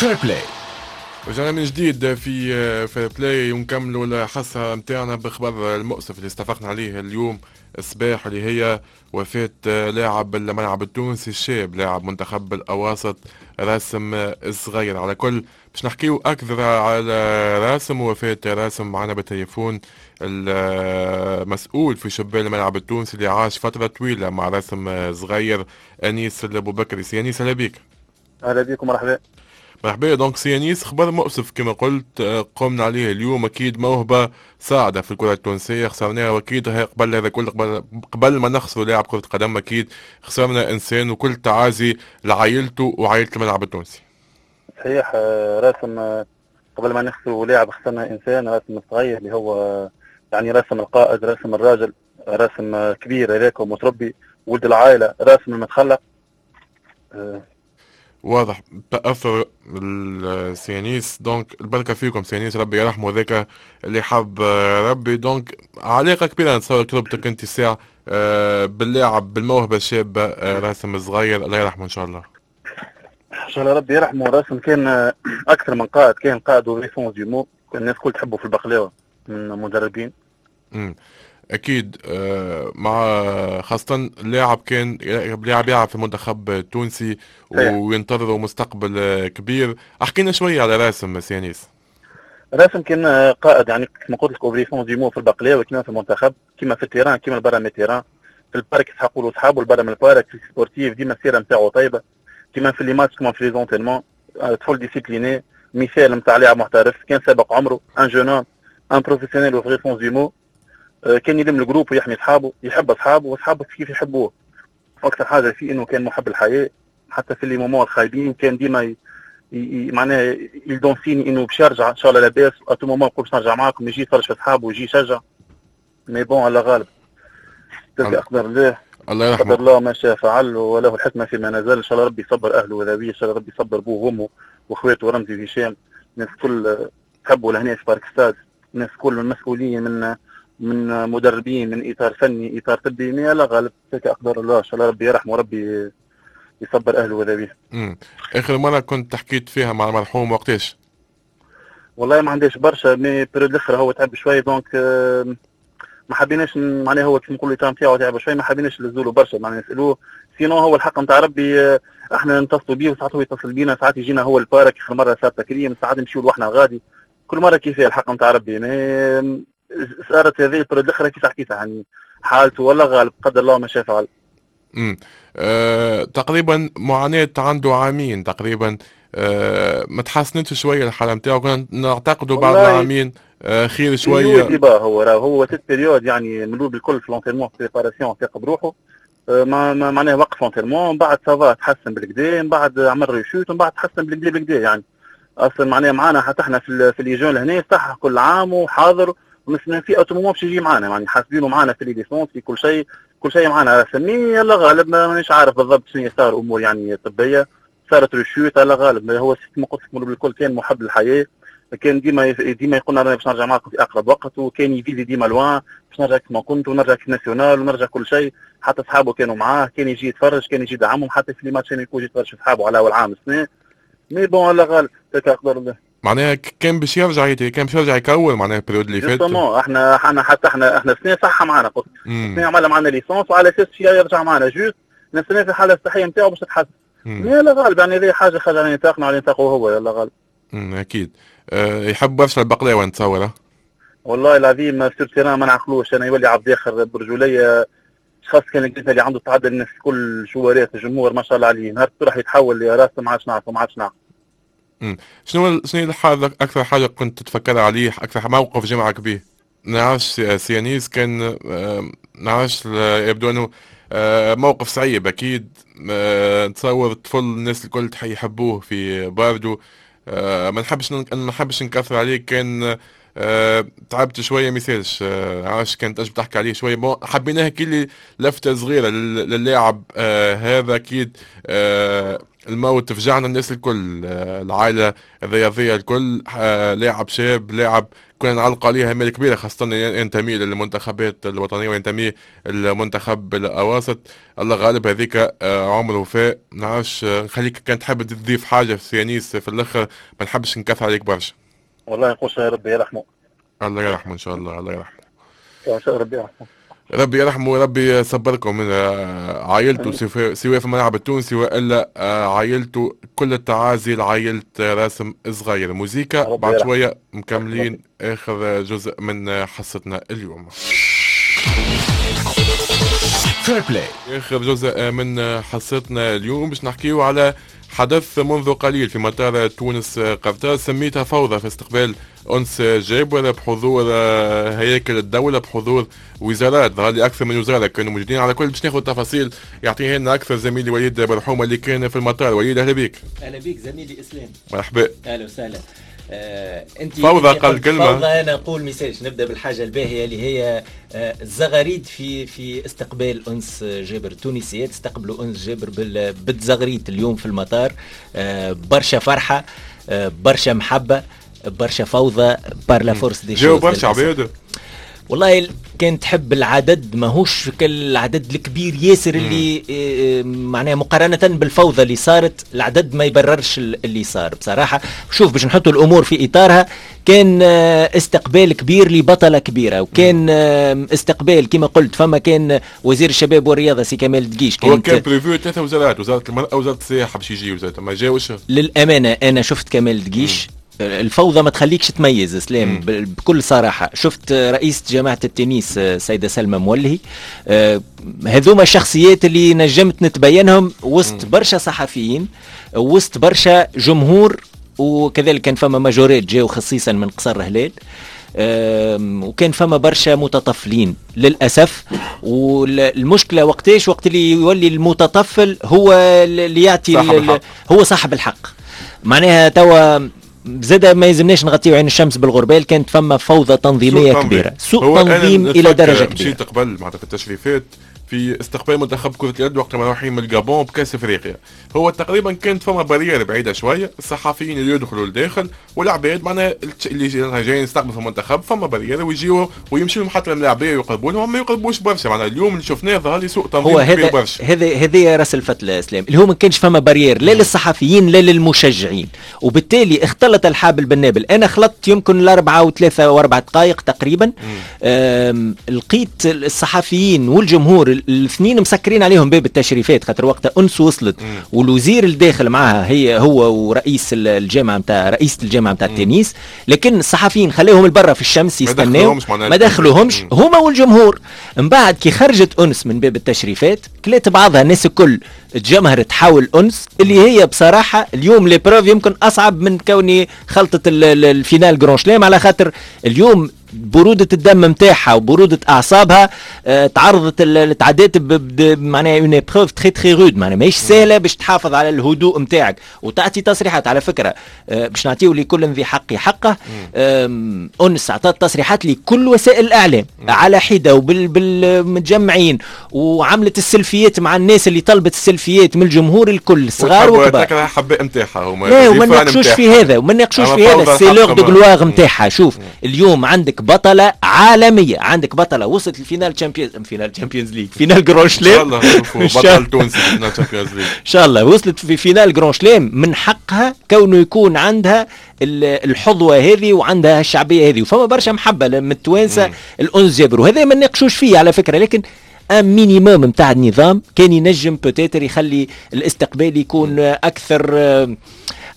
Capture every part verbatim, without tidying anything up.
Fair Play. رجعنا من جديد في Fair Play ونكملوا الحصة نتاعنا بخبر المؤسف اللي استفقنا عليه اليوم الصباح، اللي هي وفاة لاعب الملعب التونسي الشاب، لاعب منتخب الأواسط راسم الصغير. على كل باش نحكيو أكثر على راسم ووفاة راسم، معنا بالتليفون المسؤول في شبان الملعب التونسي اللي عاش فترة طويلة مع راسم صغير، أنيس البوبكري. سي أنيس، أهلا بك. اهلا بكم، مرحبا. مرحبا. donc سي انيس، خبر مؤسف كما قلت آه، قمنا عليه اليوم. اكيد موهبة صاعده في الكره التونسية خسرناها، واكيد قبل هذا كل، قبل, قبل ما نخسروا لاعب كره قدم، اكيد خسرنا انسان، وكل تعازي لعائلته وعائلة الملعب التونسي. صحيح، آه، راسم آه، قبل ما نخسروا لاعب خسرنا انسان، راسم الصغير اللي هو يعني راسم القائد، راسم الراجل، راسم كبير هذاك ومتربي، ولد العائله، راسم المتخلق. واضح تاثر السي انيس، donc البركة فيكم سي انيس، ربي يرحمه، ذاك اللي حب ربي. donc علاقة كبيرة نتصور تربطك انت الساعة آه، باللاعب، بالموهبه الشابة آه، راسم الصغير، الله يرحمه ان شاء الله. ان شاء الله ربي يرحمه. راسم كان اكثر من قائد، كان قائد au vrai sens du mot، الناس الكل تحبه في البقلاوه من مدربين. امم اكيد، آه، مع خاصة اللاعب كان لاعب يلعب في المنتخب التونسي وينتظروا مستقبل كبير. احكينا شوية على راسم سي انيس. راسم كان قائد، يعني كما قلت لك au vrai sens du mot في البقلاوه، كما في المنتخب، كما في ال terrain، كما برا من ال terrain. في ال parc يسحقوا له اصحابه، برا من ال parc في sportif ديما السيرة نتاعو طيبه، كما في les matchs كما في les entraînements. طفل discipliné، مثال نتاع لاعب محترف، كان سابق عمره، un jeune homme، un professionnel au vrai sens du mot. كان يلم ال groupe ويحمي اصحابه، يحب اصحابه واصحابه كيف يحبوه. اكثر حاجة فيه انه كان محب الحياه، حتى في les moments الخايبين كان ديما ي... ي... معناها il donne signe انه باش يرجع ان شاء الله لاباس. à tout moment يقول باش نرجع معاكم، يجي يتفرج في اصحابه ويجي يشجع. mais bon، الله غالب، تلك اقدار الله. الله يرحمه. قدر الله ما شاء فعل وله الحكمة فيما نزل. ان شاء الله ربي يصبر اهله وذويه، ان شاء الله ربي يصبر ابوه وامه واخواته رمزي وهشام. الناس الكل تحبوا لهنا في Parc Stade، الناس كل المسؤولين من من مدربين، من اطار فني، اطار طبي. mais الله غالب، تلك اقدار الله. ان شاء الله ربي يرحمه وربي يصبر اهله وذويه. امم اخر مرة كنت حكيت فيها مع المرحوم وقتاش؟ والله ما عنديش برشا، mais période الاخر هو تعب شوي، donc ما حبيناش، معناها هو كيف نقولوا l'état نتاعو تعب شوي، ما حبيناش نزولوا برشا معناها نسالوه. sinon هو الحق نتاع ربي آه، احنا نتصلوا بيه وساعات هو يتصل بينا، ساعات يجينا هو ال parc، اخر مرة صار تكريم، ساعات نمشيو لوحنا غادي، كل مرة كيف الحق نتاع ربي. mais صارت هذه ال période الاخرى كيف حكيتها، يعني حالته ولا غالب، قدر الله ما شاء فعل. امم أه تقريبا معاناة عنده عامين تقريبا، أه ما تحسنتش شوية الحالة نتاعو؟ كنا نعتقدوا بعد العامين آه خير شويه. هو هو هو cette période يعني ملول بالكل في l'entraînement، في préparation ثاق بروحه، آه، ما معناها وقف l'entraînement، من بعد ça va تحسن بالكدا، من بعد عمل rechute، ومن بعد تحسن بالكدا بالكدا. يعني اصلا معناها معانا حتى احنا في في les jeunes هنا صح كل عام وحاضر ونستنى فيه à tout moment باش يجي معانا، يعني حاسبينه معانا في les licences، في كل شيء، كل شيء معانا. mais الله غالب، مانيش عارف بالضبط شنو صار، امور يعني طبية صارت rechute، الله غالب. هو كما قلت لك بالكل كان محب للحياه، كان ديما ديما يقول انا باش نرجع معكم في اقرب وقت، وكان ي viser ديما loin، باش نرجع كما كنت ونرجع équipe nationale ونرجع كل شيء. حتى اصحابه كانوا معاه، كان يجي يتفرج، كان يجي يدعمهم، حتى في les matchs يكون يتفرج في اصحابه على اول عام سنه. mais bon، الله غالب، تلك اقدار الله. معناها كان باش يرجع كان باش يرجع يكور معناها ال période اللي فات. احنا احنا حتى احنا احنا سنة صح معنا، قلت سنة عمل معنا licence وعلى اساس يرجع معنا، juste نستنى في الحالة الصحية نتاعو باش تتحسن. mais الله غالب، يعني هذه حاجة خارج على نطاقنا، على نطاقه هو، الله غالب. امم اكيد أه يحب برشا البقلاوه نتصور. والله العظيم sur terrain ما نعقلوش انا، يولي عبد اخر برجوليه. خاص كان اللي عنده تعدل الناس كل جوارات الجمهور ما شاء الله عليه، نهار راح يتحول لراسه ما عادش نعرفه، ما عادش نعرف. شنو شنو الحاجة اكثر حاجة كنت تتفكر عليه، اكثر موقف جمعك به؟ نعرفش سي انيس، كان نعرفش، يبدو انه آه، موقف صعيب اكيد. آه، نتصور الطفل الناس الكل يحبوه في باردو. آه، ما نحبش ما نحبش نكثر عليك، كان أه تعبت شوية ما يسالش، أه عاش كانت تنجم تحكي عليه شوية. bon حبيناها كي لفته صغيرة للاعب أه هذا اكيد أه الموت فجعنا الناس الكل، أه العائلة الرياضية الكل، أه لاعب شاب، لاعب كنا نعلق عليه امال كبيرة، خاصة ينتمي للمنتخبات الوطنية وينتمي للمنتخب الاواسط. الله غالب هذيك عمره وفاء. نعرفش نخليك كان تحب تضيف حاجة في يانيس في الاخر، ما نحبش نكثر عليك برشا. والله نقول ربي يرحمه. الله يرحمه ان شاء الله، الله يرحمه. ان شاء الله ربي يرحمه. ربي يرحمه وربي يصبركم من عائلته سواء في الملعب التونسي والا عائلته. كل التعازي لعائلة راسم صغير. موزيكا بعد شوية مكملين اخر جزء من حصتنا اليوم. Fair Play اخر جزء من حصتنا اليوم باش نحكيو على حدث منذ قليل في مطار تونس قرطاج، سميتها فوضى في استقبال أنس جابر بحضور هياكل الدولة، بحضور وزارات، ظهر لي أكثر من وزارة كانوا موجودين. على كل باش ناخذ تفاصيل يعطيها لنا أكثر زميلي وليد برحومة اللي كان في المطار. وليد أهلا بك. أهلا بك زميلي إسلام. مرحبا. أهلا وسهلا. آه، انت فوضى قال كلمة فوضى، انا نقول message. نبدا بالحاجة الباهيه اللي هي آه، الزغاريد في في استقبال انس جابر. التونسيات استقبلوا انس جابر بالزغريت اليوم في المطار. آه، برشا فرحه، آه، برشا محبة، برشا فوضى par la force des choses. جاو برشا عباد والله. كان تحب العدد ماهوش العدد الكبير ياسر اللي معناها مقارنة بالفوضى اللي صارت، العدد ما يبررش اللي صار بصراحة. شوف باش نحطوا الأمور في إطارها، كان استقبال كبير لبطلة كبيرة، وكان استقبال كما قلت فما كان وزير الشباب والرياضة سي كمال دقيش. هو كان prévu ثلاثة وزارات، وزارة المرأة وزارة السياحة باش يجي وزارة ما جاوش. للأمانة أنا شفت كمال دقيش، الفوضى ما تخليكش تميز اسلام بكل صراحة. شفت رئيسة جامعه التنس سيده سلمى مولهي، آه هذوما الشخصيات اللي نجمت نتبينهم وسط برشا صحفيين، وسط برشا جمهور، وكذلك كان فما majorettes جاو خصيصا من قصر هلال، وكان فما برشا متطفلين للأسف. والمشكلة وقتاش وقت اللي يولي المتطفل هو اللي يعطي صاحب هو صاحب الحق. معناها توا زاد ما يلزمناش نغطيو عين الشمس بالغربال، كانت فما فوضى تنظيميه سوء كبيرة، سوء تنظيم الى درجه كبيرة. مشيت قبل معناتها في التشريفات في استقبال منتخب كرة اليد وقت ما رايحين من الجابون بكاس افريقيا، هو تقريبا كانت فما barrière بعيدة شوية، الصحفيين اللي يدخلوا لداخل والعباد معناها اللي جايين يستقبلوا في المنتخب فما barrière ويجيو ويمشيو لهم حتى الملاعبيه ويقربوا لهم، ما يقربوش برشا. معناها اليوم اللي شفناه ظهر لي سوء تنظيم هو هذا برشا. هذا هذا راس الفتله اسلام، اللي هو ما كانش فما barrière لا للصحفيين لا للمشجعين، وبالتالي اختلط الحابل بالنابل. انا خلطت يمكن الاربعة وثلاثة واربع دقائق تقريبا، لقيت الصحفيين والجمهور الاثنين مسكرين عليهم باب التشريفات، خاطر وقتها أنس وصلت مم. والوزير الداخل معها هي هو ورئيس الجامعة نتاع رئيسه الجامعة نتاع التنس، لكن الصحفيين خليهم البرة في الشمس يستناو، ما دخلوهمش هما والجمهور. من بعد كي خرجت أنس من باب التشريفات كلات بعضها الناس الكل تجمهرت حول أنس، اللي هي بصراحة اليوم l'épreuve يمكن اصعب من كوني خلطه ال finale Grand Chelem، على خاطر اليوم برودة الدم متاعها وبرودة أعصابها آه تعرضت تعدات معناها une épreuve très très rude، معناها ماهيش سهلة باش تحافظ على الهدوء متاعك وتعطي تصريحات. على فكرة آه باش نعطيو لكل ذي حق حقه، أنس عطات تصريحات لكل وسائل الإعلام على حدة وبالمتجمعين، وعملت السلفيات مع الناس اللي طلبت السلفيات من الجمهور الكل صغار وكبار. حبة متاعها هما لا، وما ناقشوش في هذا وما ناقشوش في هذا c'est l'heure de gloire متاعها. شوف اليوم عندك بطلة عالمية، عندك بطلة وصلت ال finale Champions finale Champions League finale Grand Chelem، ان شاء الله بطل تونسي finale Champions League ان شاء الله، وصلت في finale Grand Chelem، من حقها كونه يكون عندها الحظوة هذه وعندها الشعبية هذه، وفما برشا محبة من التوانسة الأنس جابر، وهذا ما نناقشوش فيه على فكرة. لكن un minimum نتاع النظام كان ينجم peut-être يخلي الاستقبال يكون اكثر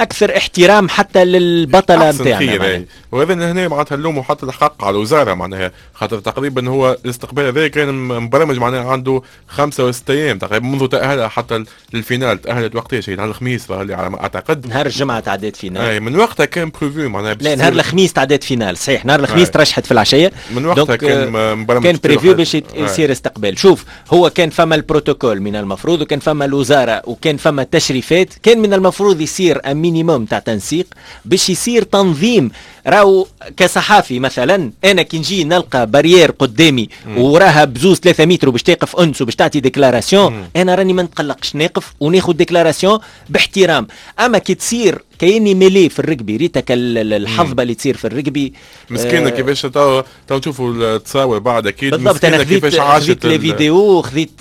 اكثر احترام حتى للبطله نتاعنا. وهذا هنا معناتها اللوم وحتى الحق على الوزارة، معناها خاطر تقريبا هو الاستقبال هذا كان مبرمج معناها عنده خمسة وست ايام تقريبا منذ تاهلها حتى لل finale. تاهلت وقتاش؟ نهار الخميس على ما اعتقد، نهار الجمعة تعدات finale. اي من وقتها كان prévu معناها، لا نهار الخميس تعدات finale صحيح، نهار الخميس ترشحت في العشية، من وقتها كان مبرمج، كان prévu باش يصير استقبال. شوف هو كان فما البروتوكول من المفروض، وكان فما الوزارة، وكان فما تشريفات، كان من المفروض يصير minimum تاع تنسيق باش يصير تنظيم. راهو كصحافي مثلا انا كي نجي نلقى barrière قدامي وراها بزوز ثلاثة متر باش تقف انس وباش تعطي déclaration، انا راني ما نتقلقش، نقف وناخذ déclaration باحترام. اما كي تصير كايني mêlée في الركبي، ريتك الحظبه اللي تصير في الركبي. مسكينه آه كيفاش تو تو نشوفوا التصاور بعد اكيد. بالضبط، انا خذيت خذيت les vidéos، خذيت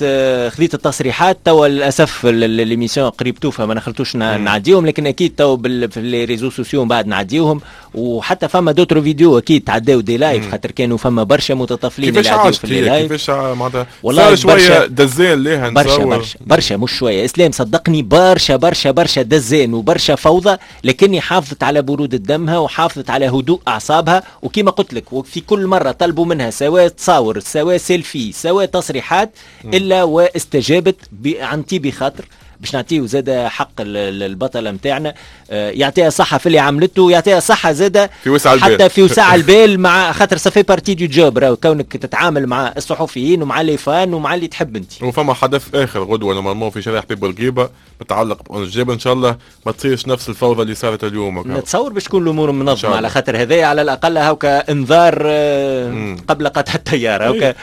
خذيت التصريحات. توا للاسف l'émission قريب توفى، ما نخلطوش نعديهم، لكن اكيد تو في les réseaux sociaux بعد نعديهم. وحتى فما d'autres vidéos اكيد تعداو des lives، خاطر كانوا فما برشا متطفلين. اللي عداو في les lives. كيفاش معناتها؟ والله شوية دزان ليها. برشا برشا برشا، مش شوية اسلام، صدقني برشا برشا برشا دزان وبرشا فوضى، لكني حافظت على برودة دمها وحافظت على هدوء أعصابها. وكما قلت لك، وفي كل مرة طلبوا منها سواء تصاور سواء سيلفي سواء تصريحات إلا واستجابت عن طيب خاطر. باش نعطيه زاد حق البطلة نتاعنا، آه، يعطيها صحة في اللي عملته، يعطيها صحة زاد في وسع البال، حتى في وسع البال، مع خاطر ça fait partie du job راهو كونك تتعامل مع الصحفيين ومع les fans ومع اللي تحب انت. وفما حدث اخر غدوه normalement في شارع حبيب بورقيبة متعلق بأنس جابر، ان شاء الله ما تصيرش نفس الفوضى اللي صارت اليوم. نتصور باش تكون الامور منظمه، على خاطر هذايا على الاقل هاكا انذار آه، قبل قطع التيار هاكا.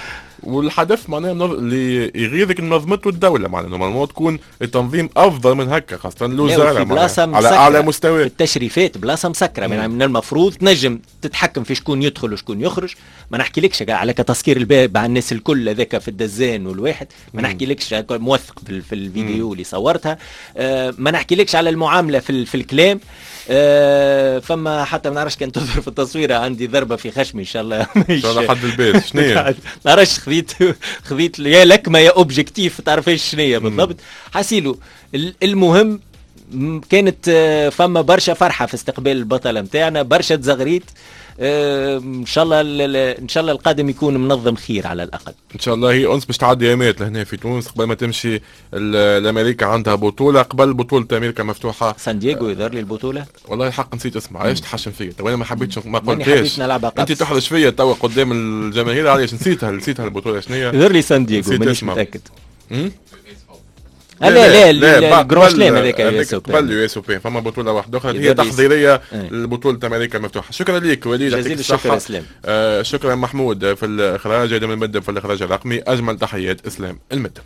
والحدث معناها اللي يغيظك نظمته الدولة، معناها normalement تكون التنظيم افضل من هكا، خاصة الوزارة بلاصة على اعلى مستوى. التشريفات بلاصة مسكره، من المفروض تنجم تتحكم في شكون يدخل وشكون يخرج. ما نحكيلكش على تسكير الباب على الناس الكل هذاك في الدزان والواحد، ما نحكيلكش موثق في, في الفيديو اللي صورتها، آه ما نحكيلكش على المعاملة في, في الكلام. آه فما حتى ما نعرفش كان تظهر في التصويره، عندي ضربه في خشمي، ان شاء الله. ان شاء الله حد البيت شنو. نعرفش، خذيت خذيت يا لكمه يا objectif، تعرفش شنو بالضبط. حسيلو المهم كانت آه، فما برشا فرحه في استقبال البطلة نتاعنا، برشا تزغريت. آه، ان شاء الله ان شاء الله القادم يكون منظم خير على الاقل. ان شاء الله. هي انس باش تعدي ايامات لهنا في تونس قبل ما تمشي لامريكا، عندها بطوله قبل بطوله امريكا مفتوحه. سان دييغو يظهر لي البطوله. والله الحق نسيت اسمها، علاش تحشم فيا تو؟ انا ما حبيتش ما قلتهاش، انت تحرج فيا توا قدام الجماهير. علاش نسيتها نسيتها البطولة شنو هي؟ يظهر لي سان دييغو، مانيش متاكد. لا لا لا، ال Grand Chelem هذاك. قبل ال US Open فما بطوله واحدة اخرى هي تحضيرية لبطولة امريكا المفتوحه. شكرا لك وليد. جزيل الشكر اسلام. آه شكرا محمود في الاخراج، ادم المدب في الاخراج الرقمي. اجمل تحيات اسلام المدب.